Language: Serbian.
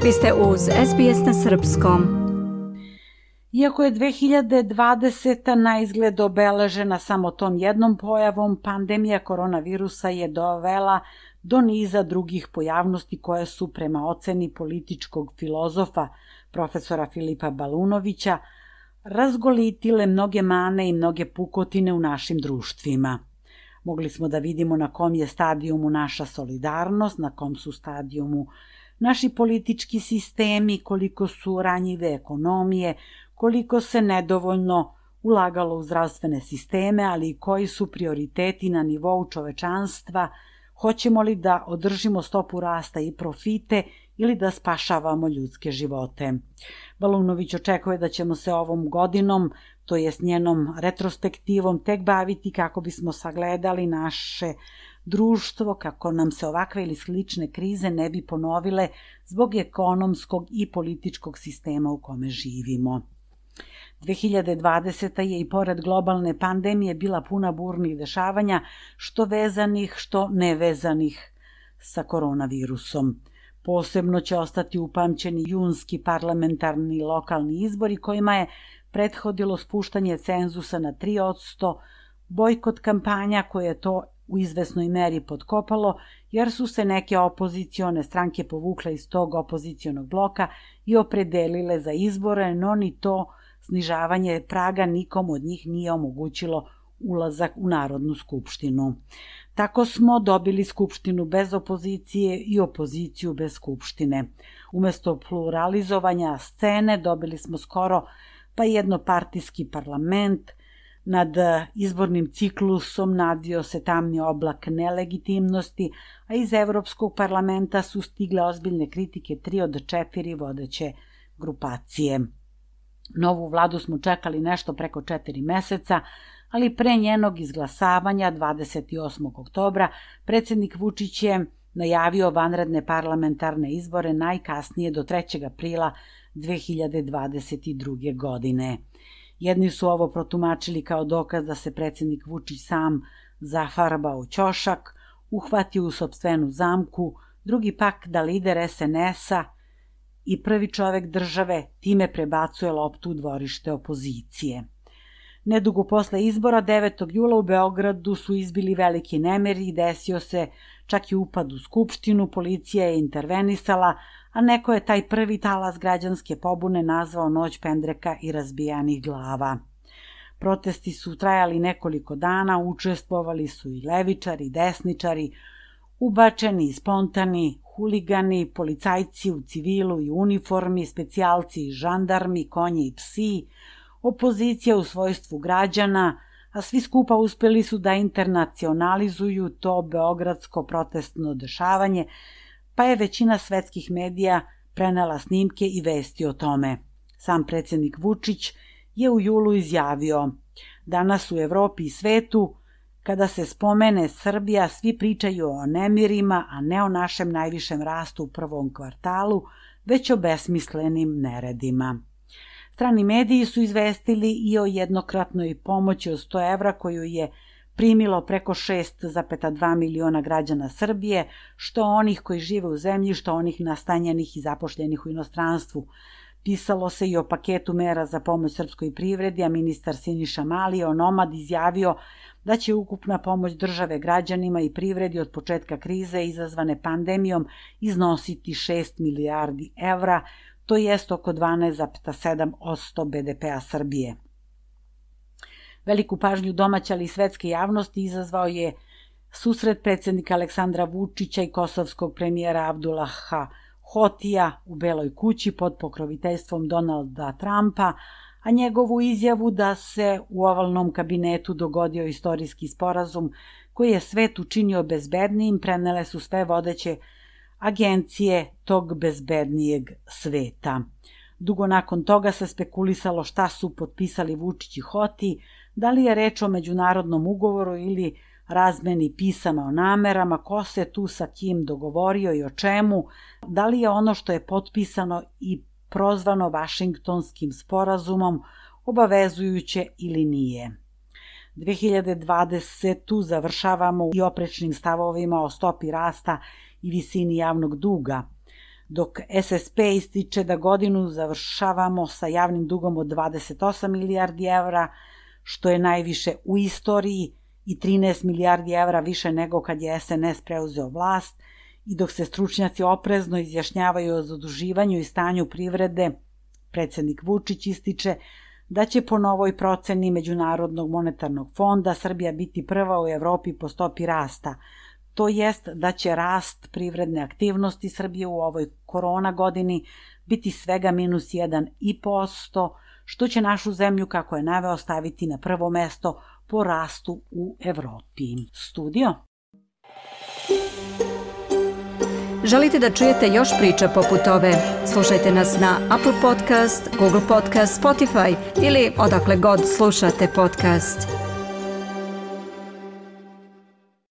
Vi ste uz SBS na srpskom. Iako je 2020. na izgled obeležena samo tom jednom pojavom, pandemija koronavirusa je dovela do niza drugih pojavnosti koje su, prema oceni političkog filozofa profesora Filipa Balunovića, razgolitile mnoge mane i mnoge pukotine u našim društvima. Mogli smo da vidimo na kom je stadijumu naša solidarnost, na kom su stadijumu naši politički sistemi, koliko su ranjive ekonomije, koliko se nedovoljno ulagalo u zdravstvene sisteme, ali i koji su prioriteti na nivou čovečanstva, hoćemo li da održimo stopu rasta i profite ili da spašavamo ljudske živote. Balunović očekuje da ćemo se ovom godinom, to jest njenom retrospektivom, tek baviti kako bismo sagledali naše društvo, kako nam se ovakve ili slične krize ne bi ponovile zbog ekonomskog i političkog sistema u kome živimo. 2020. je i pored globalne pandemije bila puna burnih dešavanja, što vezanih, što nevezanih sa koronavirusom. Posebno će ostati upamćeni junski parlamentarni i lokalni izbori kojima je prethodilo spuštanje cenzusa na 3%, bojkot kampanja koje je to u izvesnoj meri potkopalo, jer su se neke opozicione stranke povukle iz tog opozicionog bloka i opredelile za izbore, no ni to snižavanje praga nikom od njih nije omogućilo ulazak u Narodnu skupštinu. Tako smo dobili skupštinu bez opozicije i opoziciju bez skupštine. Umesto pluralizovanja scene dobili smo skoro pa jednopartijski parlament. Nad izbornim ciklusom nadvio se tamni oblak nelegitimnosti, a iz Evropskog parlamenta su stigle ozbiljne kritike 3 od 4 vodeće grupacije. Novu vladu smo čekali nešto preko 4 meseca, ali pre njenog izglasavanja 28. oktobra predsjednik Vučić je najavio vanredne parlamentarne izbore najkasnije do 3. aprila 2022. godine. Jedni su ovo protumačili kao dokaz da se predsjednik Vučić sam zafarbao u ćošak, uhvatio u sopstvenu zamku, drugi pak da lider SNS-a i prvi čovek države time prebacuje loptu u dvorište opozicije. Nedugo posle izbora, 9. jula u Beogradu su izbili veliki nemiri i desio se čak i upad u skupštinu, policija je intervenisala, a neko je taj prvi talas građanske pobune nazvao noć pendreka i razbijanih glava. Protesti su trajali nekoliko dana, učestvovali su i levičari, desničari, ubačeni i spontani, huligani, policajci u civilu i uniformi, specijalci i žandarmi, konji i psi, opozicija u svojstvu građana, a svi skupa uspeli su da internacionalizuju to beogradsko protestno dešavanje, pa je većina svetskih medija prenela snimke i vesti o tome. Sam predsjednik Vučić je u julu izjavio: danas u Evropi i svetu, kada se spomene Srbija, svi pričaju o nemirima, a ne o našem najvišem rastu u prvom kvartalu, već o besmislenim neredima. Strani mediji su izvestili i o jednokratnoj pomoći od 100 evra koju je primilo preko 6,2 miliona građana Srbije, što onih koji žive u zemlji, što onih nastanjenih i zapošljenih u inostranstvu. Pisalo se i o paketu mera za pomoć srpskoj privredi, a ministar Siniša Mali onomad izjavio da će ukupna pomoć države građanima i privredi od početka krize izazvane pandemijom iznositi 6 milijardi evra, to jest oko 12,7% BDP-a Srbije. Veliku pažnju domaće ali i svetske javnosti izazvao je susret predsjednika Aleksandra Vučića i kosovskog premijera Abdullaha Hotija u Beloj kući pod pokroviteljstvom Donalda Trumpa, a njegovu izjavu da se u ovalnom kabinetu dogodio istorijski sporazum koji je svet učinio bezbednijim prenele su sve vodeće agencije tog bezbednijeg sveta. Dugo nakon toga se spekulisalo šta su potpisali Vučić i Hoti, da li je reč o međunarodnom ugovoru ili razmeni pisama o namerama, ko se tu sa kim dogovorio i o čemu, da li je ono što je potpisano i prozvano Vašingtonskim sporazumom obavezujuće ili nije. 2020. završavamo i oprečnim stavovima o stopi rasta i visini javnog duga. dok SSP ističe da godinu završavamo sa javnim dugom od 28 milijardi evra, što je najviše u istoriji i 13 milijardi evra više nego kad je SNS preuzeo vlast, i dok se stručnjaci oprezno izjašnjavaju o zaduživanju i stanju privrede, predsednik Vučić ističe da će po novoj proceni Međunarodnog monetarnog fonda Srbija biti prva u Evropi po stopi rasta, to jest da će rast privredne aktivnosti Srbije u ovoj korona godini biti svega minus 1,5%, što će našu zemlju, kako je naveo, staviti na prvo mesto po rastu u Evropi. Studio. Želite da čujete još priča poput ove? Slušajte nas na Apple Podcast, Google Podcast, Spotify ili odakle god slušate podcast.